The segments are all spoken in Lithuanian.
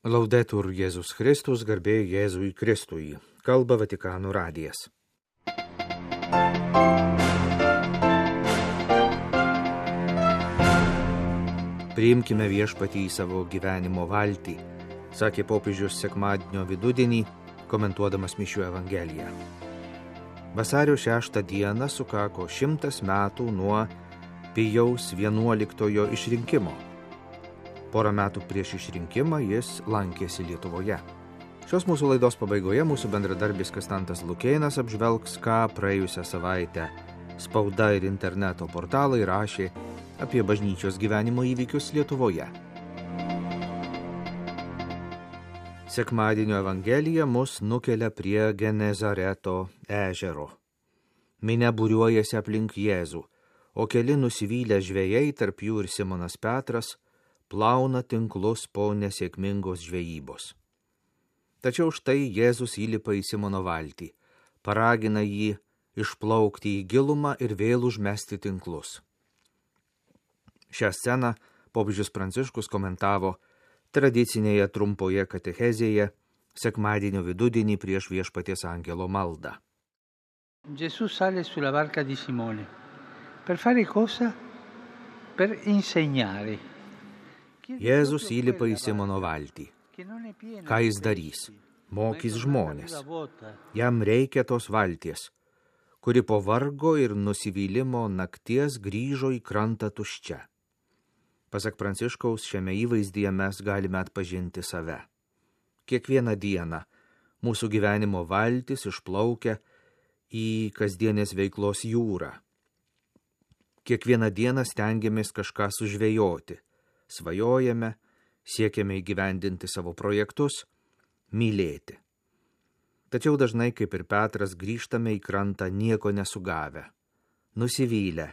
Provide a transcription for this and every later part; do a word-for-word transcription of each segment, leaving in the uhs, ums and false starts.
Laudetur Jėzus Kristus, garbė Jėzui Kristui. Kalba Vatikano radijas. Priimkime viešpatį į savo gyvenimo valtį, sakė popiežius sekmadienio vidudienį, komentuodamas Mišių Evangeliją. Vasario šeštą dieną sukako šimtas metų nuo Pijaus vienuoliktojo išrinkimo. Porą metų prieš išrinkimą jis lankėsi Lietuvoje. Šios mūsų laidos pabaigoje mūsų bendradarbis Kastantas Lukėnas apžvelgs, ką praėjusią savaitę spauda ir interneto portalai rašė apie bažnyčios gyvenimo įvykius Lietuvoje. Sekmadienio Evangelija mus nukelia prie Genezareto ežero. Minia būriuojasi aplink Jėzų, o keli nusivylę žvejai, tarp jų ir Simonas Petras, plauna tinklus po nesėkmingos žvejybos. Tačiau štai Jėzus įlipa į Simono valtį, paragina jį išplaukti į gilumą ir vėl užmesti tinklus. Šią sceną popiežius Pranciškus komentavo tradicinėje trumpoje katechezėje sekmadienio vidudienį prieš Viešpaties angelo maldą. Gesù sale sulla barca di Simone. Per fare cosa? Per insegnare. Jėzus įlipa į Simono valtį. Ką jis darys? Mokys žmonės. Jam reikia tos valties, kuri po vargo ir nusivylimo nakties grįžo į krantą tuščia. Pasak Pranciškaus, šiame įvaizdyje mes galime atpažinti save. Kiekvieną dieną mūsų gyvenimo valtis išplaukia į kasdienės veiklos jūrą. Kiekvieną dieną stengiamės kažką sužvejoti. Svajojame, siekiame įgyvendinti savo projektus, mylėti. Tačiau dažnai, kaip ir Petras, grįžtame į krantą nieko nesugavę, nusivylę,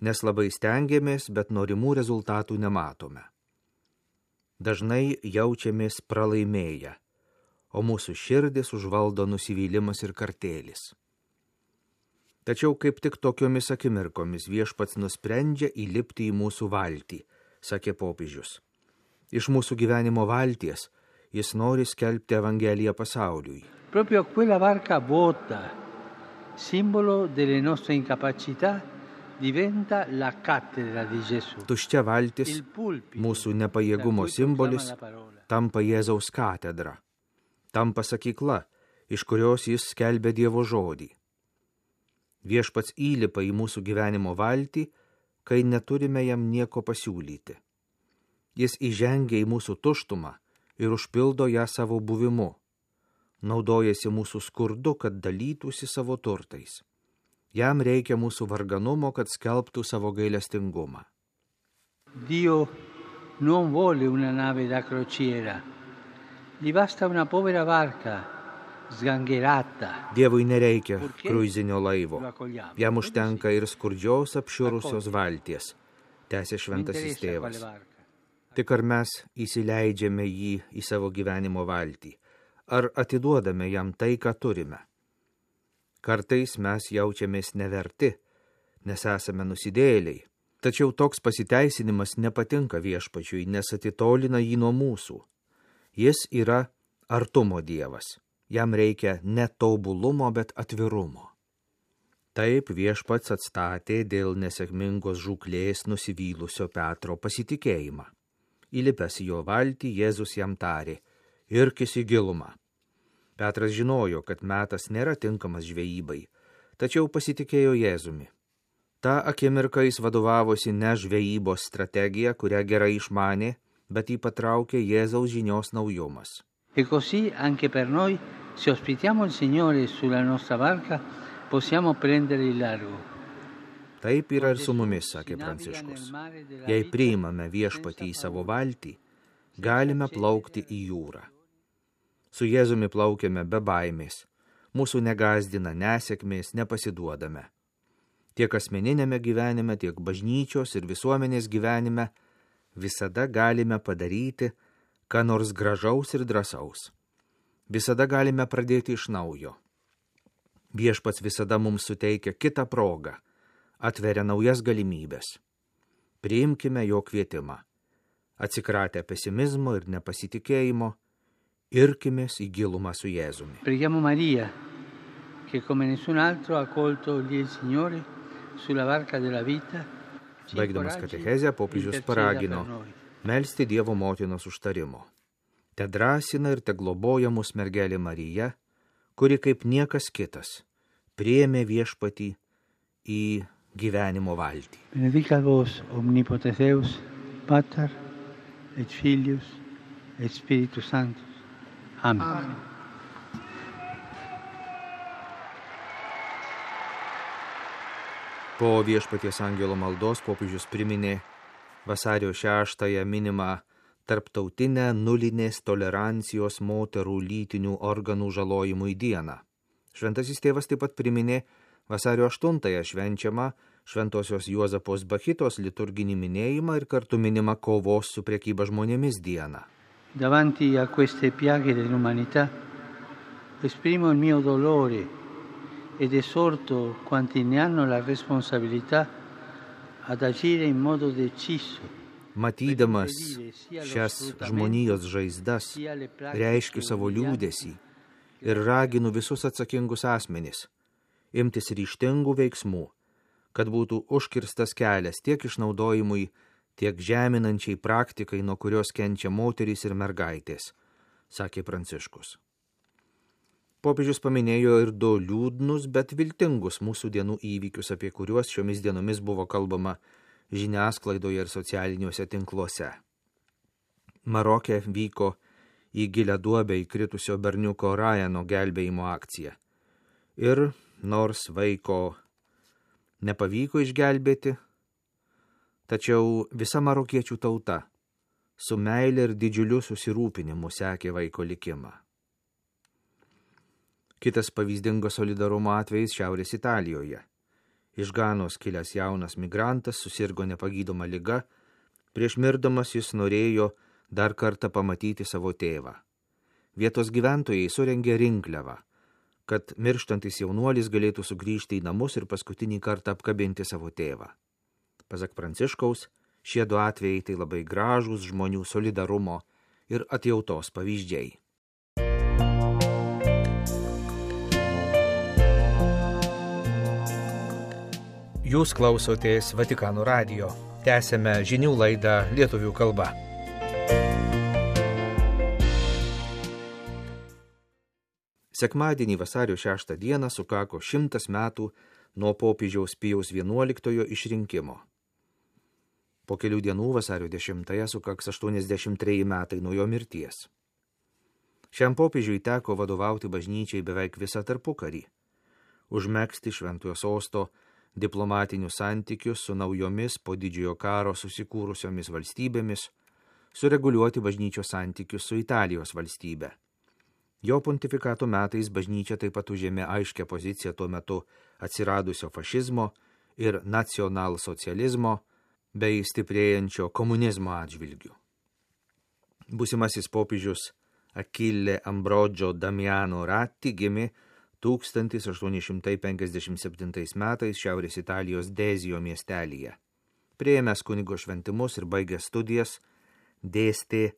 nes labai stengiamės, bet norimų rezultatų nematome. Dažnai jaučiamės pralaimėję, o mūsų širdis užvaldo nusivylimas ir kartėlis. Tačiau kaip tik tokiomis akimirkomis Viešpats nusprendžia įlipti į mūsų valtį, sakė popiežius. Iš mūsų gyvenimo valties jis nori skelbti Evangeliją pasauliui. Proprio quella barca vuota, simbolo delle nostre incapacità, diventa la cattedra di Gesù. Tuščia valtis, mūsų nepajėgumo simbolis, tampa Jėzaus katedra, tampa sakykla, iš kurios jis skelbia Dievo žodį. Viešpats įlipa į mūsų gyvenimo valtį, kai neturime jam nieko pasiūlyti. Jis įžengia į mūsų tuštumą ir užpildo ją savo buvimu. Naudojasi mūsų skurdu, kad dalytųsi savo turtais. Jam reikia mūsų varganumo, kad skelbtų savo gailestingumą. Dio non vuole una nave da crociera. Gli basta una povera barca. Dievui nereikia kruizinio laivo, jam užtenka ir skurdžios apšiurusios valties, tęsė šventasis tėvas. Tik ar mes įsileidžiame jį į savo gyvenimo valtį, ar atiduodame jam tai, ką turime. Kartais mes jaučiamės neverti, nes esame nusidėjėliai, tačiau toks pasiteisinimas nepatinka Viešpačiui, nes atitolina jį nuo mūsų. Jis yra artumo Dievas. Jam reikia ne tobulumo, bet atvirumo. Taip Viešpats atstatė dėl nesėkmingos žūklės nusivylusio Petro pasitikėjimą. Įlipęs į jo valtį, Jėzus jam tarė: irkis į gilumą. Petras žinojo, kad metas nėra tinkamas žvejybai, tačiau pasitikėjo Jėzumi. Ta akimirka jis vadovavosi ne žvejybos strategija, kurią gerai išmanė, bet jį patraukė Jėzaus žinios naujumas. E così anche per noi, se ospitiamo il Signore sulla nostra barca, possiamo prendere il largo. Taip yra ir su mumis, sakė Pranciškus. Jei priimame Viešpatį į savo valtį, galime plaukti į jūrą. Su Jėzumi plaukiame be baimės, mūsų negazdina nesėkmės, nepasiduodame. Tiek asmeninėme gyvenime, tiek bažnyčios ir visuomenės gyvenime visada galime padaryti ką nors gražaus ir drąsaus. Visada galime pradėti iš naujo. Viešpats visada mums suteikia kitą progą, atveria naujas galimybės. Priimkime jo kvietimą. Atsikratę pesimizmo ir nepasitikėjimo, Irkimės į gilumą su Jėzumi. Preghiamo Maria, che come nessun altro ha colto lì il Signore sulla barca della vita. Baigdamas katechezę, popiežius paragino melsti Dievo motinos užtarimo. Te drąsina ir te globoja mus mergelė Marija, kuri kaip niekas kitas priėmė viešpatį į gyvenimo valtį. Benedica vos omnipotens Deus, Pater et Filius et Spiritus Sanctus. Amen. Amen. Po viešpaties angelo maldos popiežius priminė vasario šeštąją minimą tarptautinę nulinės tolerancijos moterų lytinių organų žalojimui dieną. Šventasis tėvas taip pat priminė vasario aštuntąją švenčiamą Šventosios Juozapos Bachitos liturginį minėjimą ir kartu minimą kovos su prekyba žmonėmis dieną. Davanti a queste piaghe dell'umanità esprimo il mio dolore ed esorto quanti ne hanno la responsabilità ad agire in modo deciso. Matydamas šias žmonijos žaizdas, reiškiu savo liūdesį ir raginu visus atsakingus asmenis imtis ryžtingų veiksmų, kad būtų užkirstas kelias tiek išnaudojimui, tiek žeminančiai praktikai, nuo kurios kenčia moterys ir mergaitės, sakė Pranciškus. Popiežius paminėjo ir du liūdnus, bet viltingus mūsų dienų įvykius, apie kuriuos šiomis dienomis buvo kalbama žiniasklaidoje ir socialiniuose tinkluose. Maroke vyko į gilią duobę įkritusio berniuko Ryano gelbėjimo akcija. Ir nors vaiko nepavyko išgelbėti, tačiau visa marokiečių tauta su meile ir didžiuliu susirūpinimu sekė vaiko likimą. Kitas pavyzdingo solidarumo atvejis Šiaurės Italijoje. Iš Ganos kilęs jaunas migrantas susirgo nepagydoma liga, prieš mirdamas jis norėjo dar kartą pamatyti savo tėvą. Vietos gyventojai surengė rinkliavą, kad mirštantis jaunuolis galėtų sugrįžti į namus ir paskutinį kartą apkabinti savo tėvą. Pasak Pranciškaus, šie du atvejai tai labai gražūs žmonių solidarumo ir atjautos pavyzdžiai. Jūs klausotės Vatikano radijo. Tęsėme žinių laidą lietuvių kalba. Sekmadienį vasario šeštą dieną sukako šimtas metų nuo popiežiaus Pijaus vienuoliktojo išrinkimo. Po kelių dienų vasario dešimtąją sukaks aštuoniasdešimt treji metai nuo jo mirties. Šiam popiežiui teko vadovauti bažnyčiai beveik visą tarpukarį, užmegzti Šventojo sosto diplomatinius santykius su naujomis po didžiojo karo susikūrusiomis valstybėmis, sureguliuoti bažnyčios santykius su Italijos valstybe. Jo pontifikato metais bažnyčia taip pat užėmė aiškę poziciją tuo metu atsiradusio fašizmo ir nacionalsocializmo bei stiprėjančio komunizmo atžvilgių. Būsimasis popiežius Achille Ambrogio Damiano Ratti gimė tūkstantis aštuoni šimtai penkiasdešimt septintais metais Šiaurės Italijos Dezijo miestelyje. Priėmęs kunigo šventimus ir baigęs studijas, dėstė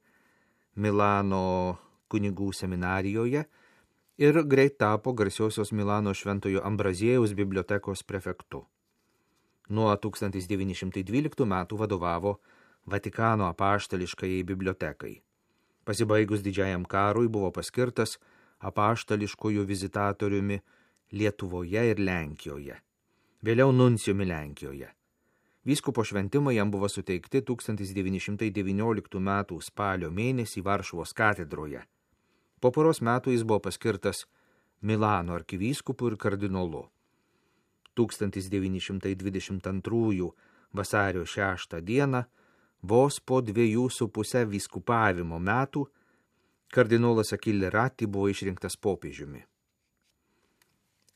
Milano kunigų seminarijoje ir greit tapo garsiosios Milano Šventojo Ambraziejaus bibliotekos prefektu. Nuo tūkstantis devyni šimtai dvyliktų metų vadovavo Vatikano apaštališkajai bibliotekai. Pasibaigus didžiajam karui buvo paskirtas apaštališkojų vizitatoriumi Lietuvoje ir Lenkijoje, vėliau nuncijumi Lenkijoje. Vyskupo šventimai jam buvo suteikti tūkstantis devyni šimtai devynioliktų metų spalio mėnesį Varšuvos katedroje. Po poros metų jis buvo paskirtas Milano arkivyskupu ir kardinolu. tūkstantis devyni šimtai dvidešimt antrųjų vasario šeštą dieną, vos po dviejų su puse vyskupavimo metų, kardinolas Achille Ratti buvo išrinktas popiežiumi.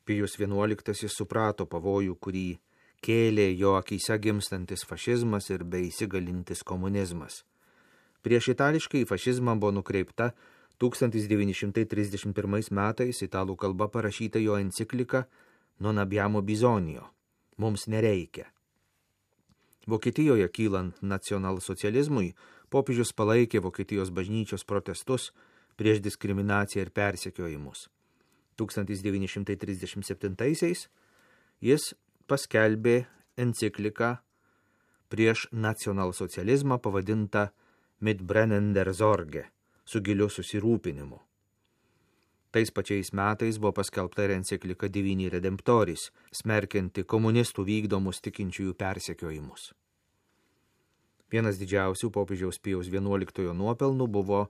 Pijus vienuoliktasis suprato pavojų, kurį kėlė jo akyse gimstantis fašizmas ir beįsigalintis komunizmas. Prieš itališkai fašizmą buvo nukreipta tūkstantis devyni šimtai trisdešimt pirmais metais italų kalba parašyta jo enciklika Non abbiamo bisogno, mums nereikia. Vokietijoje kylant nacionalsocializmui, popiežius palaikė Vokietijos bažnyčios protestus prieš diskriminaciją ir persekiojimus. tūkstantis devyni šimtai trisdešimt septintaisiais jis paskelbė encikliką prieš nacionalsocializmą pavadintą Mit brennender Sorge, su giliu susirūpinimu. Tais pačiais metais buvo paskelbta ir enciklika Divini Redemptoris, smerkianti komunistų vykdomus tikinčiųjų persekiojimus. Vienas didžiausių popiežiaus Pijaus vienuoliktojo nuopelnų buvo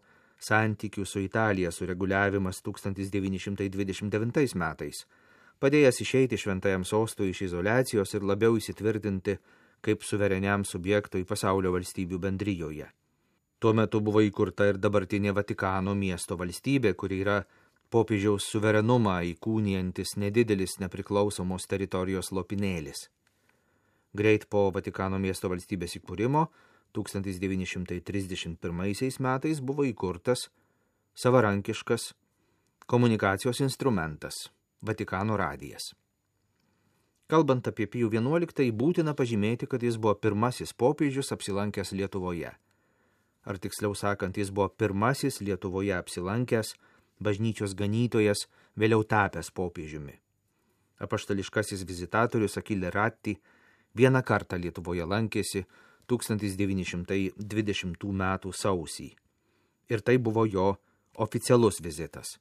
santykių su Italija sureguliavimas tūkstantis devyni šimtai dvidešimt devintais metais, padėjęs išeiti šventajam sostui iš izoliacijos ir labiau įsitvirtinti kaip suvereniam subjektui pasaulio valstybių bendrijoje. Tuo metu buvo įkurta ir dabartinė Vatikano miesto valstybė, kuri yra popiežiaus suverenumą įkūnijantis nedidelis nepriklausomos teritorijos lopinėlis. Greit po Vatikano miesto valstybės įkūrimo tūkstantis devyni šimtai trisdešimt pirmaisiais metais buvo įkurtas savarankiškas komunikacijos instrumentas – Vatikano radijas. Kalbant apie Pijų vienuoliktąjį, būtina pažymėti, kad jis buvo pirmasis popiežius apsilankęs Lietuvoje. Ar tiksliau sakant, jis buvo pirmasis Lietuvoje apsilankęs bažnyčios ganytojas, vėliau tapęs popiežiumi. Apaštališkasis vizitatorius Achille Ratti vieną kartą Lietuvoje lankėsi tūkstantis devyni šimtai dvidešimtų metų sausį. Ir tai buvo jo oficialus vizitas.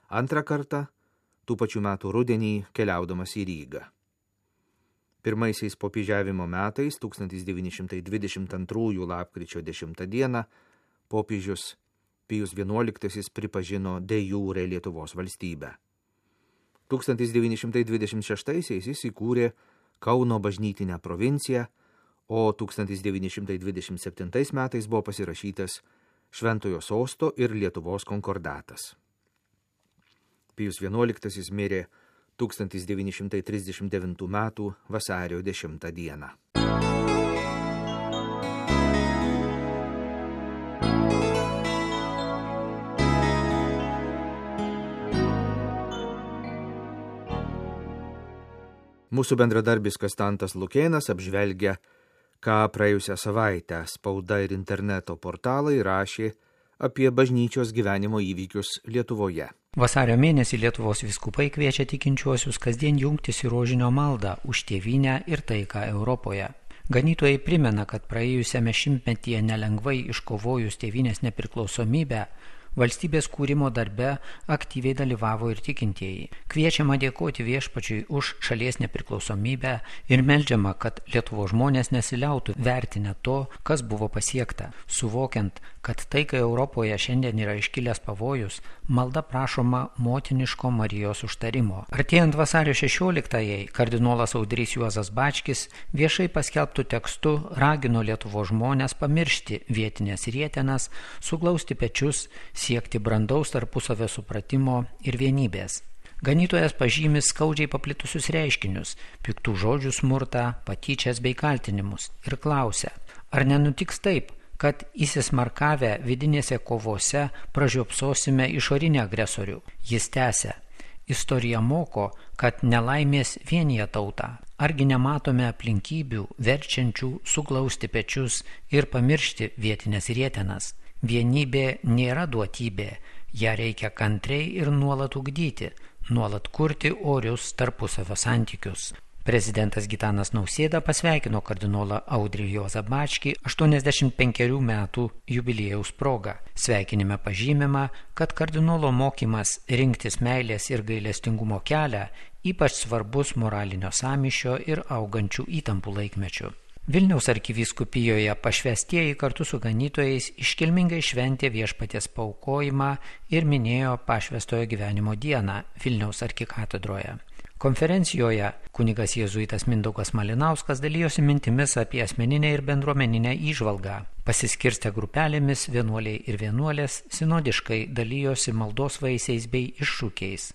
Antrą kartą, tų pačių metų rudenį, keliaudamas į Rygą. Pirmaisiais popiežiavimo metais, tūkstantis devyni šimtai dvidešimt antrųjų lapkričio dešimtą dieną, popiežius Pijus vienuoliktasis pripažino de jure Lietuvos valstybę. tūkstantis devyni šimtai dvidešimt šeštaisiais jis įkūrė Kauno bažnytinę provinciją, o tūkstantis devyni šimtai dvidešimt septintais metais buvo pasirašytas Šventojo sosto ir Lietuvos konkordatas. Pijus vienuoliktasis mirė tūkstantis devyni šimtai trisdešimt devintų metų vasario dešimtą dieną. Mūsų bendradarbis Konstantas Lukėnas apžvelgia, ką praėjusią savaitę spauda ir interneto portalai rašė apie bažnyčios gyvenimo įvykius Lietuvoje. Vasario mėnesį Lietuvos vyskupai kviečia tikinčiuosius kasdien jungtis į rožinio maldą už tėvynę ir taiką Europoje. Ganytojai primena, kad praėjusiame šimtmetyje nelengvai iškovojus tėvynės nepriklausomybę, valstybės kūrimo darbe aktyviai dalyvavo ir tikintieji. Kviečiama dėkoti Viešpačiui už šalies nepriklausomybę ir meldžiama, kad Lietuvos žmonės nesiliautų vertinę to, kas buvo pasiekta. Suvokiant, kad taikai Europoje šiandien yra iškilęs pavojus, malda prašoma motiniško Marijos užtarimo. Artėjant vasario šešioliktajai, kardinolas Audrys Juozas Bačkis viešai paskelbtų tekstu ragino Lietuvos žmonės pamiršti vietinės rietenas, suglausti pečius, siekti brandaus tarpusavio supratimo ir vienybės. Ganytojas pažymi skaudžiai paplitusius reiškinius, piktų žodžių smurtą, patyčias bei kaltinimus ir klausia, ar nenutiks taip, kad įsismarkavę vidinėse kovose pražiopsosime išorinį agresorių. Jis tęsia, istorija moko, kad nelaimės vienija tautą. Argi nematome aplinkybių, verčiančių suglausti pečius ir pamiršti vietinės rietenas. Vienybė nėra duotybė, ją reikia kantriai ir nuolat ugdyti, nuolat kurti orius tarpusavio santykius. Prezidentas Gitanas Nausėda pasveikino kardinolą Audrį Juozą Bačkį aštuoniasdešimt penkerių metų jubiliejaus proga. Sveikinime pažymima, kad kardinolo mokymas rinktis meilės ir gailestingumo kelią ypač svarbus moralinio sąmyšio ir augančių įtampų laikmečių. Vilniaus arkivyskupijoje pašvęstieji kartu su ganytojais iškilmingai šventė Viešpaties paaukojimą ir minėjo pašvęstojo gyvenimo dieną Vilniaus arkikatedroje. Konferencijoje kunigas jėzuitas Mindaugas Malinauskas dalijosi mintimis apie asmeninę ir bendruomeninę įžvalgą. Pasiskirstę grupelėmis vienuoliai ir vienuolės sinodiškai dalijosi maldos vaisiais bei iššūkiais.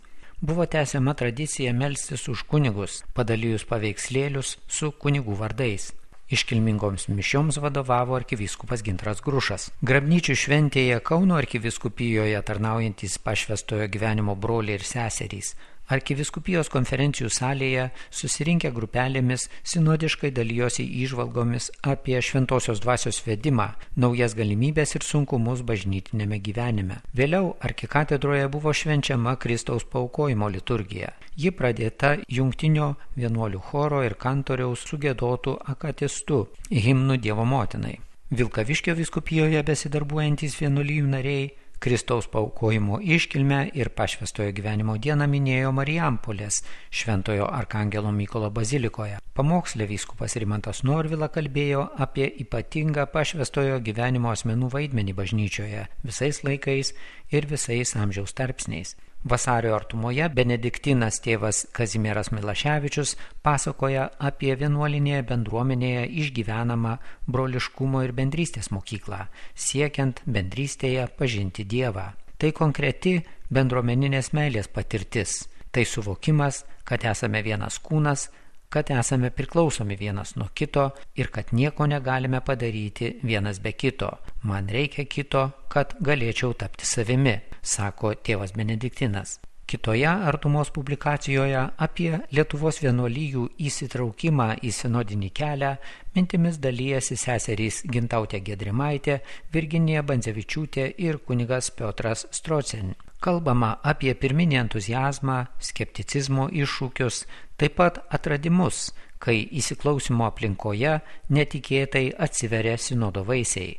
Buvo tęsiama tradicija melstis už kunigus, padalijus paveikslėlius su kunigų vardais. Iškilmingoms mišioms vadovavo arkivyskupas Gintaras Grušas. Grabnyčių šventėje Kauno arkivyskupijoje tarnaujantis pašvęstojo gyvenimo broliai ir seserys Arkivyskupijos konferencijų salėje susirinkę grupelėmis sinodiškai dalijosi įžvalgomis apie šventosios dvasios vedimą, naujas galimybės ir sunkumus bažnytinėme gyvenime. Vėliau arkikatedroje buvo švenčiama Kristaus paaukojimo liturgija. Ji pradėta jungtinio vienuolių choro ir kantoriaus sugiedotų akatistu himnu Dievo motinai. Vilkaviškio vyskupijoje besidarbuojantys vienuolijų nariai Kristaus paaukojimo iškilmę ir pašvęstojo gyvenimo dieną minėjo Marijampolės Šventojo Arkangelo Mykolo bazilikoje. Pamokslė vyskupas Rimantas Norvila kalbėjo apie ypatingą pašvęstojo gyvenimo asmenų vaidmenį bažnyčioje visais laikais ir visais amžiaus tarpsniais. Vasario artumoje benediktinas tėvas Kazimieras Milaševičius pasakoja apie vienuolinėje bendruomenėje išgyvenamą broliškumo ir bendrystės mokyklą, siekiant bendrystėje pažinti Dievą. Tai konkreti bendruomeninės meilės patirtis, tai suvokimas, kad esame vienas kūnas, kad esame priklausomi vienas nuo kito ir kad nieko negalime padaryti vienas be kito. Man reikia kito, kad galėčiau tapti savimi, sako tėvas benediktinas. Kitoje artumos publikacijoje apie Lietuvos vienuolijų įsitraukimą į sinodinį kelią mintimis dalijasi seserys Gintautė Giedrimaitė, Virginija Bandzevičiūtė ir kunigas Piotras Strocen. Kalbama apie pirminį entuziazmą, skepticizmo iššūkius, taip pat atradimus, kai įsiklausimo aplinkoje netikėtai atsiveria sinodo vaisiai,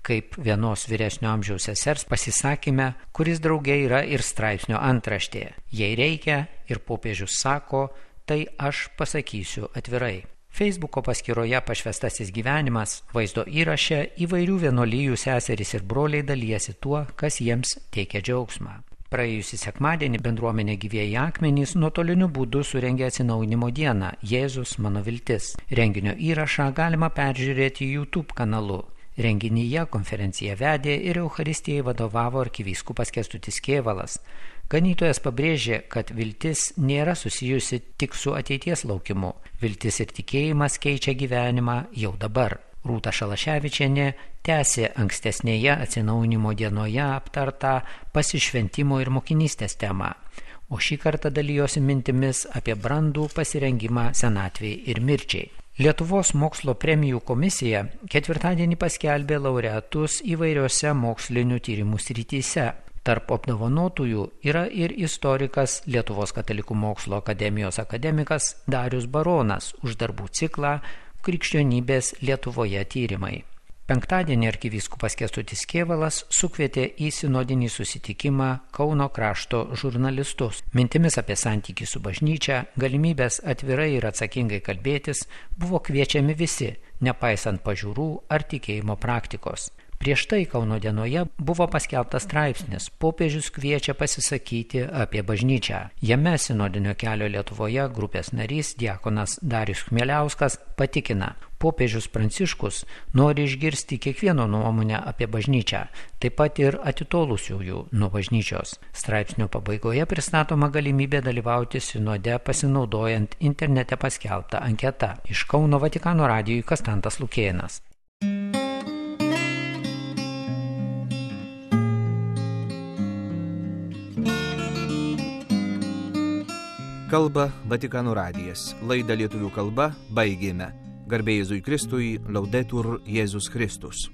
kaip vienos vyresnio amžiaus sesers pasisakyme, kuris drauge yra ir straipsnio antraštė. Jei reikia ir popiežius sako, tai aš pasakysiu atvirai. Facebooko paskyroje Pašvęstasis gyvenimas vaizdo įraše įvairių vienuolijų seserys ir broliai dalijasi tuo, kas jiems teikia džiaugsmą. Praėjusį sekmadienį bendruomenė Gyvieji akmenys nuotoliniu būdu surengė atsinaujinimo dieną Jėzus mano viltis. Renginio įrašą galima peržiūrėti YouTube kanalu. Renginyje konferenciją vedė ir Eucharistijai vadovavo arkivyskupas Kęstutis Kėvalas. Ganytojas pabrėžė, kad viltis nėra susijusi tik su ateities laukimu. Viltis ir tikėjimas keičia gyvenimą jau dabar. Rūta Šalaševičienė tęsė ankstesnėje atsinaujinimo dienoje aptartą pasišventimo ir mokinystės temą, o šį kartą dalijosi mintimis apie brandų pasirengimą senatvei ir mirčiai. Lietuvos mokslo premijų komisija ketvirtadienį paskelbė laureatus įvairiose mokslinių tyrimų srityse. Tarp apdovanotųjų yra ir istorikas Lietuvos katalikų mokslo akademijos akademikas Darius Baronas už darbų ciklą Krikščionybės Lietuvoje tyrimai. Penktadienį arkivyskupas Kęstutis Kėvalas sukvietė į sinodinį susitikimą Kauno krašto žurnalistus. Mintimis apie santykį su bažnyčia, galimybės atvirai ir atsakingai kalbėtis buvo kviečiami visi, nepaisant pažiūrų ar tikėjimo praktikos. Prieš tai Kauno dienoje buvo paskelbtas straipsnis "Popiežius kviečia pasisakyti apie bažnyčią". Jame sinodinio kelio Lietuvoje grupės narys diakonas Darius Chmieliauskas patikina, popiežius Pranciškus nori išgirsti kiekvieno nuomonę apie bažnyčią, taip pat ir atitolusiųjų nuo bažnyčios. Straipsnio pabaigoje pristatoma galimybė dalyvauti sinode pasinaudojant internete paskelbtą anketą. Iš Kauno Vatikano radijui Kastantas Lukėnas. Kalba Vatikano radijas. Laidą lietuvių kalba baigėme. Garbė Jėzui Kristui, Laudetur Jėzus Kristus.